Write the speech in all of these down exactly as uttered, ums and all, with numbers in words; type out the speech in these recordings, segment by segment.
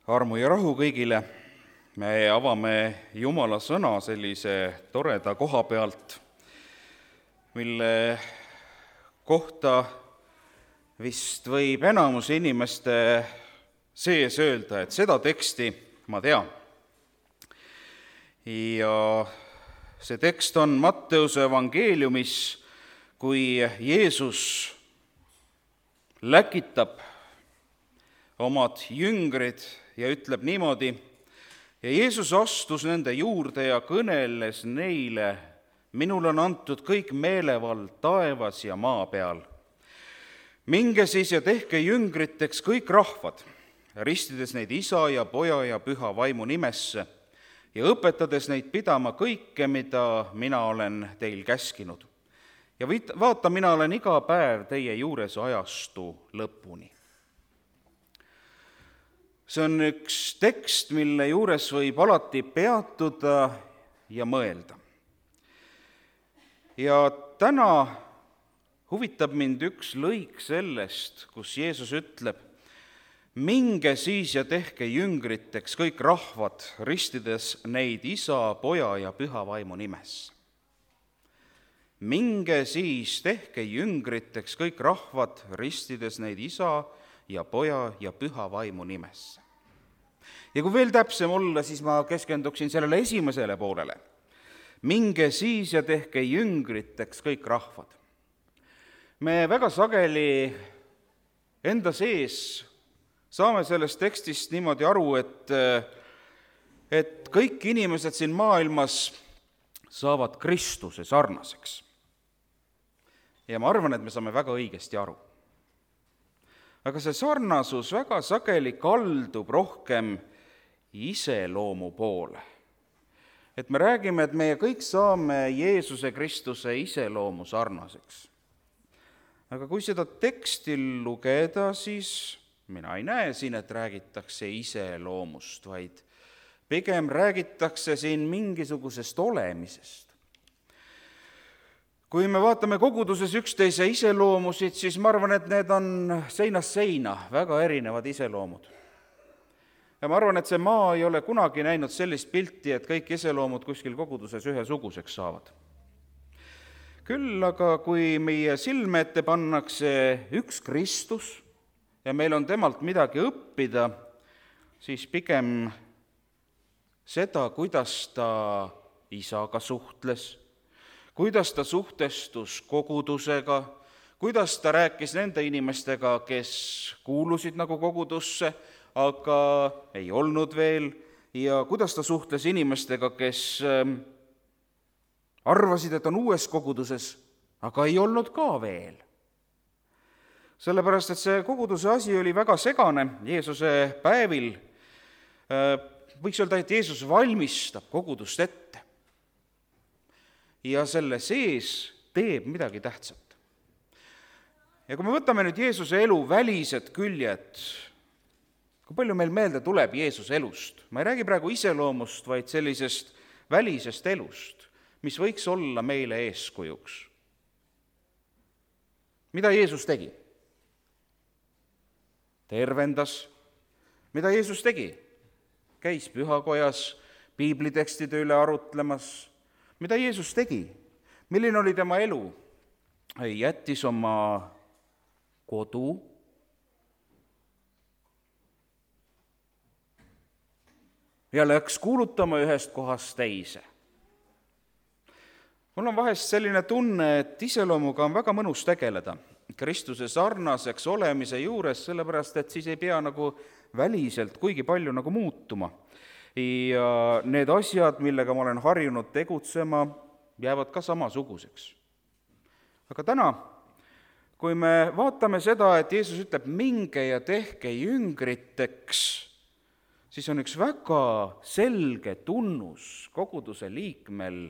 Armu ja rahu kõigile. Me avame Jumala sõna sellise toreda koha pealt, mille kohta vist võib enamus inimeste sees öelda, et seda teksti ma tean. Ja see tekst on Matteuse evangeeliumis, kui Jeesus läkitab omad jüngrid ja ütleb niimoodi: ja Jeesus astus nende juurde ja kõneles neile: minul on antud kõik meelevald taevas ja maa peal. Minge siis ja tehke jüngriteks kõik rahvad, ristides neid Isa ja Poja ja Püha Vaimu nimesse ja õpetades neid pidama kõike, mida mina olen teil käskinud. Ja vaata, mina olen iga päev teie juures ajastu lõpuni. See on üks tekst, mille juures võib alati peatuda ja mõelda. Ja täna huvitab mind üks lõik sellest, kus Jeesus ütleb: minge siis ja tehke jüngriteks kõik rahvad, ristides neid Isa, Poja ja Püha Vaimu nimesse. Minge siis, tehke jüngriteks kõik rahvad, ristides neid Isa ja Poja ja Püha Vaimu nimesse. Ja kui veel täpsem olla, siis ma keskenduksin sellele esimesele poolele. Minge siis ja tehke jüngriteks kõik rahvad. Me väga sageli enda sees saame sellest tekstist niimoodi aru, et, et kõik inimesed siin maailmas saavad Kristuse sarnaseks. Ja ma arvan, et me saame väga õigesti aru. Aga see sarnasus väga sageli kaldub rohkem iseloomu poole. Et me räägime, et meie kõik saame Jeesuse Kristuse iseloomu sarnaseks. Aga kui seda teksti lugeda, siis mina ei näe siin, et räägitakse iseloomust, vaid pigem räägitakse siin mingisugusest olemisest. Kui me vaatame koguduses üksteise iseloomusid, siis ma arvan, et need on seinast seina väga erinevad iseloomud. Ja ma arvan, et see maa ei ole kunagi näinud sellist pilti, et kõik iseloomud kuskil koguduses ühesuguseks saavad. Küll aga kui meie silme ette pannakse üks Kristus ja meil on temalt midagi õppida, siis pigem seda, kuidas ta Isaga suhtles, kuidas ta suhtestus kogudusega, kuidas ta rääkis nende inimestega, kes kuulusid nagu kogudusse, aga ei olnud veel, ja kuidas ta suhtles inimestega, kes arvasid, et on uues koguduses, aga ei olnud ka veel. Sellepärast, et see koguduse asi oli väga segane Jeesuse päevil. Võiks öelda, et Jeesus valmistab kogudust ette. Ja selle sees teeb midagi tähtsat. Ja kui me võtame nüüd Jeesuse elu välised küljed, kui palju meil meelde tuleb Jeesuse elust? Ma ei räägi praegu iseloomust, vaid sellisest välisest elust, mis võiks olla meile eeskujuks. Mida Jeesus tegi? Tervendas. Mida Jeesus tegi? Käis pühakojas piiblitekstide üle arutlemas. Mida Jeesus tegi? Milline oli tema elu? Jättis oma kodu. Ja läks kuulutama ühest kohast teise. Mul on vahest selline tunne, et iseloomuga on väga mõnus tegeleda Kristuse sarnaseks olemise juures, sellepärast et siis ei pea nagu väliselt kuigi palju nagu muutuma. Ja need asjad, millega ma olen harjunud tegutsema, jäävad ka samasuguseks. Aga täna, kui me vaatame seda, et Jeesus ütleb, minge ja tehke jüngriteks, siis on üks väga selge tunnus koguduse liikmel,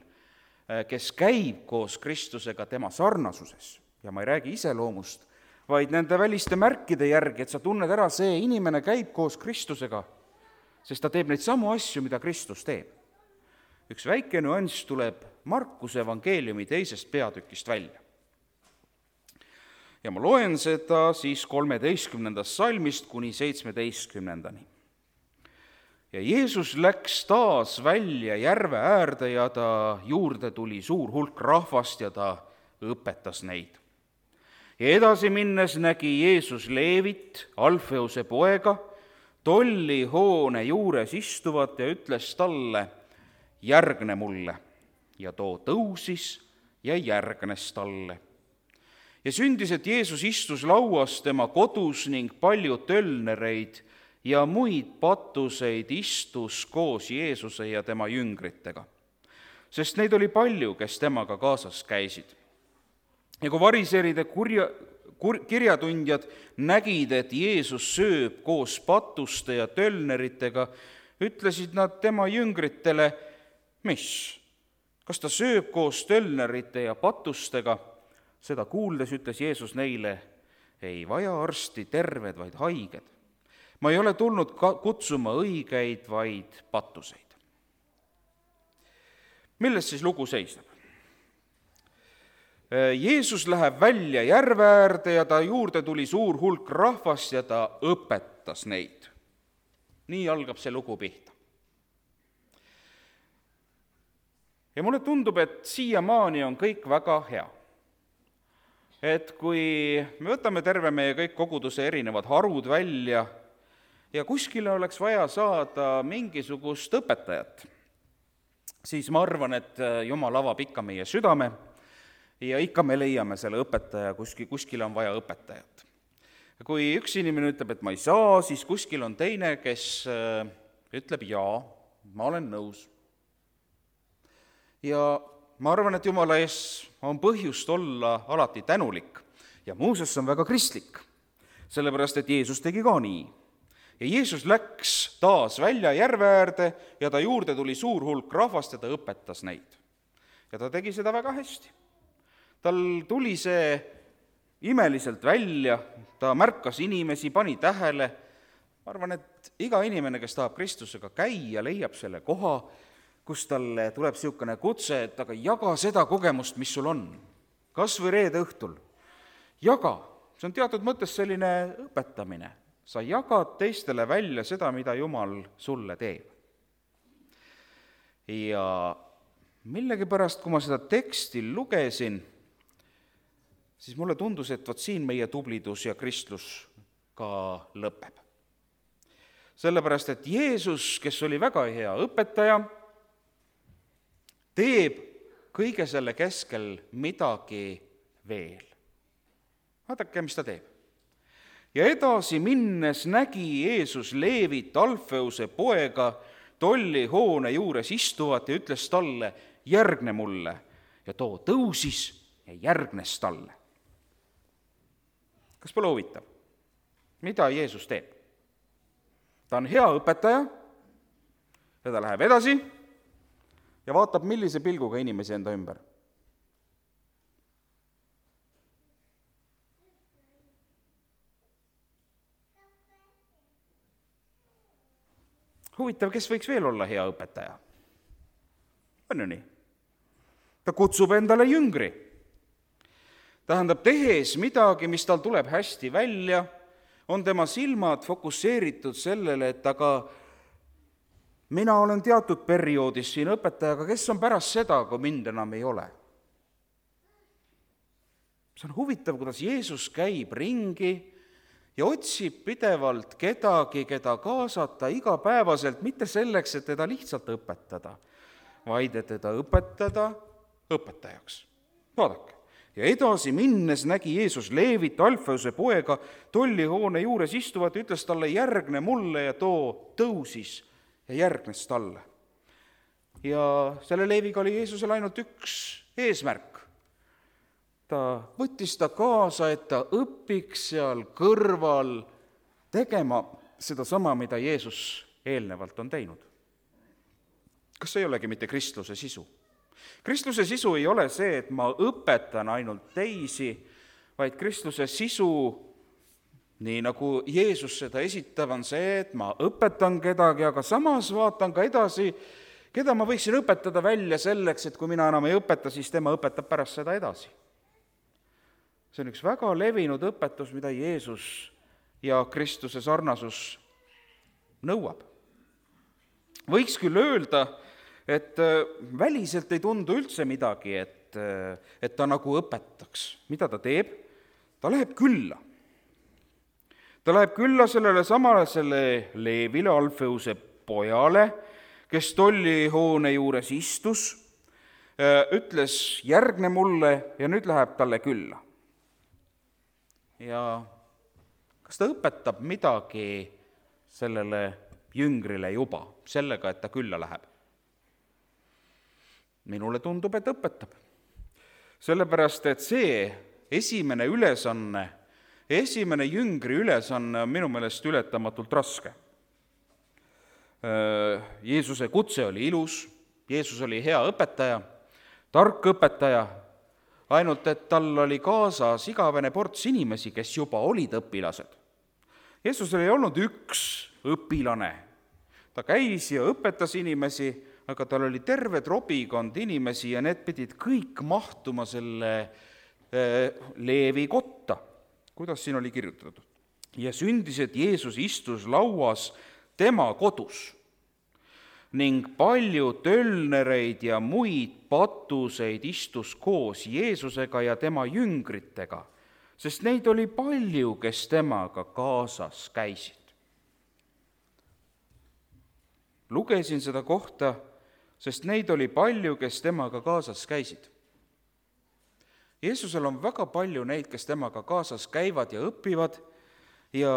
kes käib koos Kristusega tema sarnasuses. Ja ma ei räägi iseloomust, vaid nende väliste märkide järgi, et sa tunned ära, see inimene käib koos Kristusega, sest ta teeb neid samu asju, mida Kristus teeb. Üks väike nüanss tuleb Markuse evangeeliumi teisest peatükist välja. Ja ma loen seda siis kolmeteistkümnendast salmist kuni seitsmeteistkümnendani. ja Jeesus läks taas välja järve äärde ja ta juurde tuli suur hulk rahvast ja ta õpetas neid. Ja edasi minnes nägi Jeesus Leevit, Alfeuse poega, tollihoone juures istuvat ja ütles talle, järgne mulle. Ja too tõusis ja järgnes talle. Ja sündis, et Jeesus istus lauas tema kodus ning palju tölnereid ja muid patuseid istus koos Jeesuse ja tema jüngritega, sest neid oli palju, kes temaga kaasas käisid. Ja kui variseride kurja, kur, kirjatundjad nägid, et Jeesus sööb koos patuste ja tölneritega, ütlesid nad tema jüngritele, mis, kas ta sööb koos tölnerite ja patustega? Seda kuuldes ütles Jeesus neile, ei vaja arsti terved, vaid haiged. Ma ei ole tulnud kutsuma õigeid, vaid patuseid. Milles siis lugu seisneb? Jeesus läheb välja järve äärde ja ta juurde tuli suur hulk rahvast ja ta õpetas neid. Nii algab see lugu pihta. Ja mulle tundub, et siiamaani on kõik väga hea. Et kui me võtame terve meie kõik koguduse erinevad harud välja ja kuskile oleks vaja saada mingisugust õpetajat, siis ma arvan, et Jumal avab ikka meie südame ja ikka me leiame selle õpetaja, kuskil, kuskil on vaja õpetajat. Kui üks inimene ütleb, et ma ei saa, siis kuskil on teine, kes ütleb jaa, ma olen nõus. Ja ma arvan, et Jumala ees on põhjust olla alati tänulik ja muuseas on väga kristlik, sellepärast et Jeesus tegi ka nii. Ja Jeesus läks taas välja järve äärde ja ta juurde tuli suur hulk rahvast ja ta õpetas neid. Ja ta tegi seda väga hästi. Tal tuli see imeliselt välja, ta märkas inimesi, pani tähele. Ma arvan, et iga inimene, kes tahab Kristusega käia, leiab selle koha, kus talle tuleb niisugune kutse, et aga jaga seda kogemust, mis sul on. Kas või reede õhtul. Jaga. See on teatud mõttes selline õpetamine. Sa jagad teistele välja seda, mida Jumal sulle teeb. Ja millegipärast, kui ma seda teksti lugesin, siis mulle tundus, et vot siin meie tublidus ja kristlus ka lõpeb. Sellepärast, et Jeesus, kes oli väga hea õpetaja, teeb kõige selle keskel midagi veel. Vaadake, mis ta teeb. Ja edasi minnes nägi Jeesus Leevit, Alfeuse poega, tollihoone juures istuvat ja ütles talle, järgne mulle. Ja too tõusis ja järgnes talle. Kas pole huvitav? Mida Jeesus teeb? Ta on hea õpetaja ja ta läheb edasi ja vaatab, millise pilguga inimesi enda ümber. Huvitav, kes võiks veel olla hea õpetaja? On ju nii? Ta kutsub endale jüngri. Tähendab, tehes midagi, mis tal tuleb hästi välja, on tema silmad fokusseeritud sellele, et aga mina olen teatud perioodis siin õpetajaga, kes on pärast seda, kui mind enam ei ole. See on huvitav, kuidas Jeesus käib ringi ja otsib pidevalt kedagi, keda kaasata igapäevaselt, mitte selleks, et teda lihtsalt õpetada, vaid et teda õpetada õpetajaks. Vaadake. Ja edasi minnes nägi Jeesus Leevit, Alfeuse poega, tollihoone juures istuvat ja ütles talle, järgne mulle ja too tõusis ja järgnes talle. Ja selle Leeviga oli Jeesusel ainult üks eesmärk. Ta võttis ta kaasa, et ta õpiks seal kõrval tegema seda sama, mida Jeesus eelnevalt on teinud. Kas see ei olegi mitte kristluse sisu? Kristluse sisu ei ole see, et ma õpetan ainult teisi, vaid kristluse sisu, nii nagu Jeesus seda esitab, on see, et ma õpetan kedagi, aga samas vaatan ka edasi, keda ma võiksin õpetada välja selleks, et kui mina enam ei õpeta, siis tema õpetab pärast seda edasi. See on üks väga levinud õpetus, mida Jeesus ja Kristuse sarnasus nõuab. võiks küll öelda, et väliselt ei tundu üldse midagi, et, et ta nagu õpetaks. Mida ta teeb? Ta läheb külla. Ta läheb külla sellele samale selle Leevile, Alfeuse pojale, kes tollihoone juures istus, ütles, järgne mulle, ja nüüd läheb talle külla. Ja kas ta õpetab midagi sellele jüngrile juba, sellega, et ta külla läheb? Minule tundub, et õpetab. Sellepärast, et see esimene ülesanne, esimene jüngri ülesanne on minu meelest ületamatult raske. Jeesuse kutse oli ilus, Jeesus oli hea õpetaja, tark õpetaja, ainult et tal oli kaasas igavene ports inimesi, kes juba olid õpilased. Jeesusel ei olnud üks õpilane. Ta käis ja õpetas inimesi, aga tal oli terve trobikond inimesi ja need pidid kõik mahtuma selle Leevi kotta. Kuidas siin oli kirjutatud? Ja sündis, et Jeesus istus lauas tema kodus ning palju tölnereid ja muid patuseid istus koos Jeesusega ja tema jüngritega, sest neid oli palju, kes temaga kaasas käisid. Lugesin seda kohta, sest neid oli palju, kes temaga kaasas käisid. Jeesusel on väga palju neid, kes temaga kaasas käivad ja õpivad ja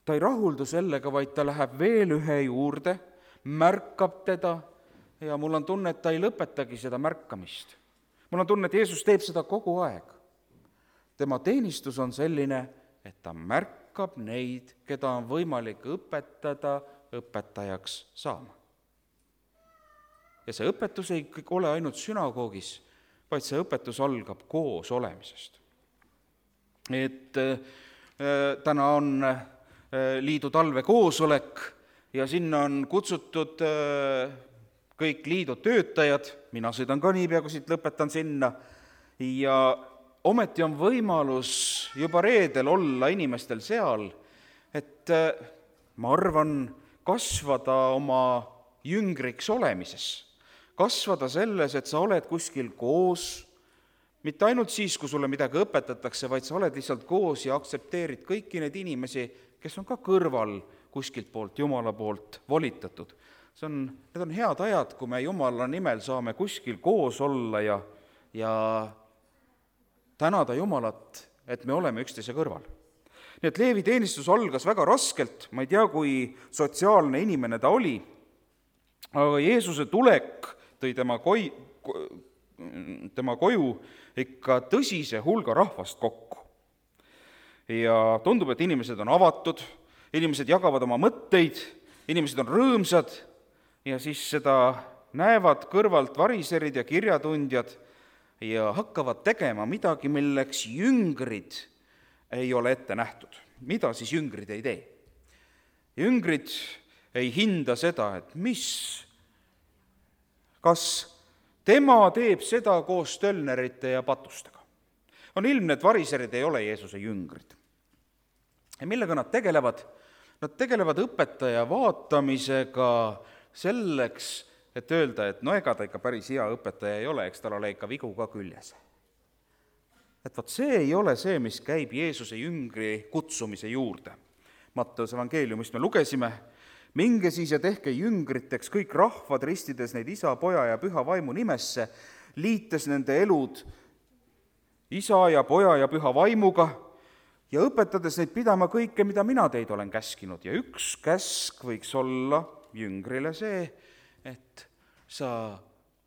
ta ei rahuldu sellega, vaid ta läheb veel ühe juurde, märkab teda ja mul on tunne, et ta ei lõpetagi seda märkamist. Mul on tunne, et Jeesus teeb seda kogu aeg. Tema teenistus on selline, et ta märkab neid, keda on võimalik õpetada õpetajaks saama. Ja see õpetus ei ole ainult sünagoogis, vaid see õpetus algab koos olemisest. Et äh, täna on äh, liidu talvekoosolek ja sinna on kutsutud äh, kõik liidu töötajad, mina sõidan ka niipea, kui siit lõpetan sinna, ja ometi on võimalus juba reedel olla inimestel seal, et äh, ma arvan, kasvada oma jüngriks olemises. Kasvada selles, et sa oled kuskil koos, mitte ainult siis, kui sulle midagi õpetatakse, vaid sa oled lihtsalt koos ja aktsepteerid kõiki neid inimesi, kes on ka kõrval kuskilt poolt, Jumala poolt volitatud. See on, need on head ajad, kui me Jumala nimel saame kuskil koos olla ja, ja tänada Jumalat, et me oleme üksteise kõrval. Nii et Leevi teenistus algas väga raskelt, ma ei tea, kui sotsiaalne inimene ta oli, aga Jeesuse tulek tõi tema, koi, tema koju ikka tõsise hulga rahvast kokku. Ja tundub, et inimesed on avatud, inimesed jagavad oma mõtteid, inimesed on rõõmsad ja siis seda näevad kõrvalt variserid ja kirjatundjad ja hakkavad tegema midagi, milleks jüngrid ei ole ette nähtud. Mida siis jüngrid ei tee? Jüngrid ei hinda seda, et mis kas tema teeb seda koos tölnerite ja patustega. On ilmne, et variserid ei ole Jeesuse jüngrid. Ja millega nad tegelevad? Nad tegelevad õpetaja vaatamisega selleks, et öelda, et no ega ta ikka päris hea õpetaja ei ole, eks tal ole ikka vigu ka küljes. Et vaat see ei ole see, mis käib Jeesuse jüngri kutsumise juurde. Matteuse evangeeliumist me lugesime, minge siis ja tehke jüngriteks kõik rahvad, ristides neid isa, poja ja püha vaimu nimesse, liites nende elud isa ja poja ja püha vaimuga ja õpetades neid pidama kõike, mida mina teid olen käskinud. Ja üks käsk võiks olla jüngrile see, et sa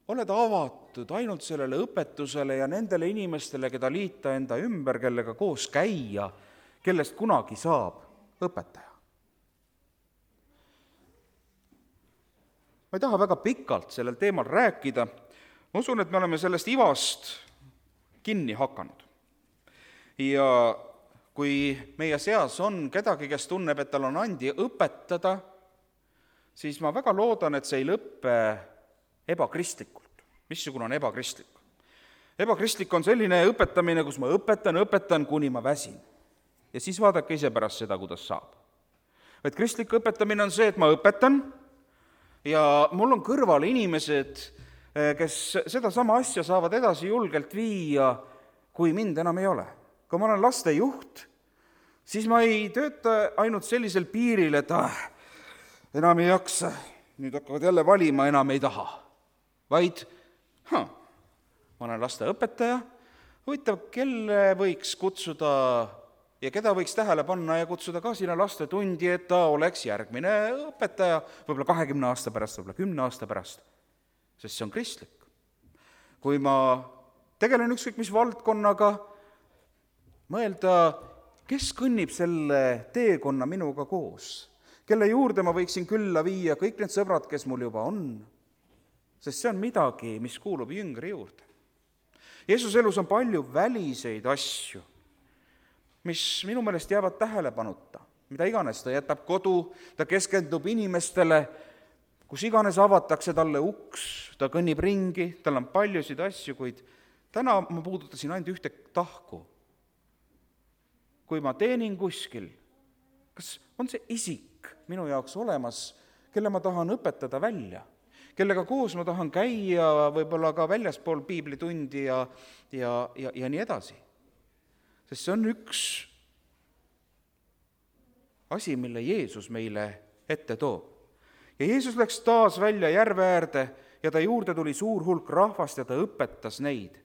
oled avatud ainult sellele õpetusele ja nendele inimestele, keda liita enda ümber, kellega koos käia, kellest kunagi saab õpetaja. Ma ei taha väga pikalt sellel teemal rääkida. Ma usun, et me oleme sellest ivast kinni hakanud. Ja kui meie seas on kedagi, kes tunneb, et tal on andi õpetada, siis ma väga loodan, et see ei lõppe ebakristlikult. Missugune on ebakristlik? Ebakristlik on selline õpetamine, kus ma õpetan, õpetan, kuni ma väsin. Ja siis vaadake ise pärast seda, kuidas saab. Et kristlik õpetamine on see, et ma õpetan, ja mul on kõrval inimesed, kes seda sama asja saavad edasi julgelt viia, kui mind enam ei ole. Kui ma olen laste juht, siis ma ei tööta ainult sellisel piiril, et ah, enam ei jaksa, nüüd hakkavad jälle valima, enam ei taha. Vaid, ha, ma olen laste õpetaja, huvitav, kelle võiks kutsuda ja keda võiks tähele panna ja kutsuda ka sinna lastetundi, et ta oleks järgmine õpetaja, võib-olla kahekümne aasta pärast, võib-olla kümne aasta pärast, sest see on kristlik. Kui ma tegelen ükskõik mis valdkonnaga, mõelda, kes kõnnib selle teekonna minuga koos, kelle juurde ma võiksin külla viia kõik need sõbrad, kes mul juba on, sest see on midagi, mis kuulub jüngri juurde. Jeesuse elus on palju väliseid asju, mis minu meelest jäävad tähelepanuta, mida iganes ta jätab kodu, ta keskendub inimestele, kus iganes avatakse talle uks, ta kõnnib ringi, tal on paljusid asju, kuid täna ma puudutasin ainult ühte tahku. Kui ma teenin kuskil, kas on see isik minu jaoks olemas, kelle ma tahan õpetada välja, kellega koos ma tahan käia võib-olla ka väljaspool piiblitundi ja, ja, ja, ja nii edasi. Sest see on üks asi, mille Jeesus meile ette toob. Ja Jeesus läks taas välja järve äärde ja ta juurde tuli suur hulk rahvast ja ta õpetas neid.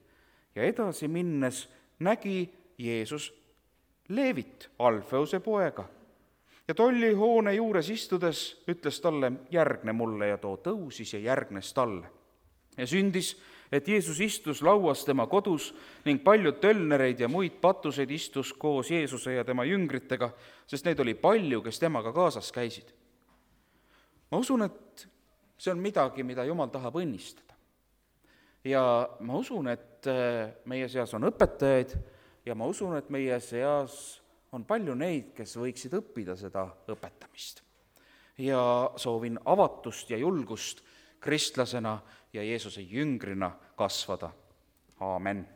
Ja edasi minnes nägi Jeesus Leevit, Alfeuse poega. Ja tollihoone juures istudes ütles talle, järgne mulle, ja too tõusis ja järgnes talle. Ja sündis, et Jeesus istus lauas tema kodus ning paljud tölnereid ja muid patuseid istus koos Jeesuse ja tema jüngritega, sest neid oli palju, kes temaga kaasas käisid. Ma usun, et see on midagi, mida Jumal tahab õnnistada. Ja ma usun, et meie seas on õpetajaid ja ma usun, et meie seas on palju neid, kes võiksid õppida seda õpetamist. Ja soovin avatust ja julgust kristlasena ja Jeesuse jüngrina kasvada. Aamen.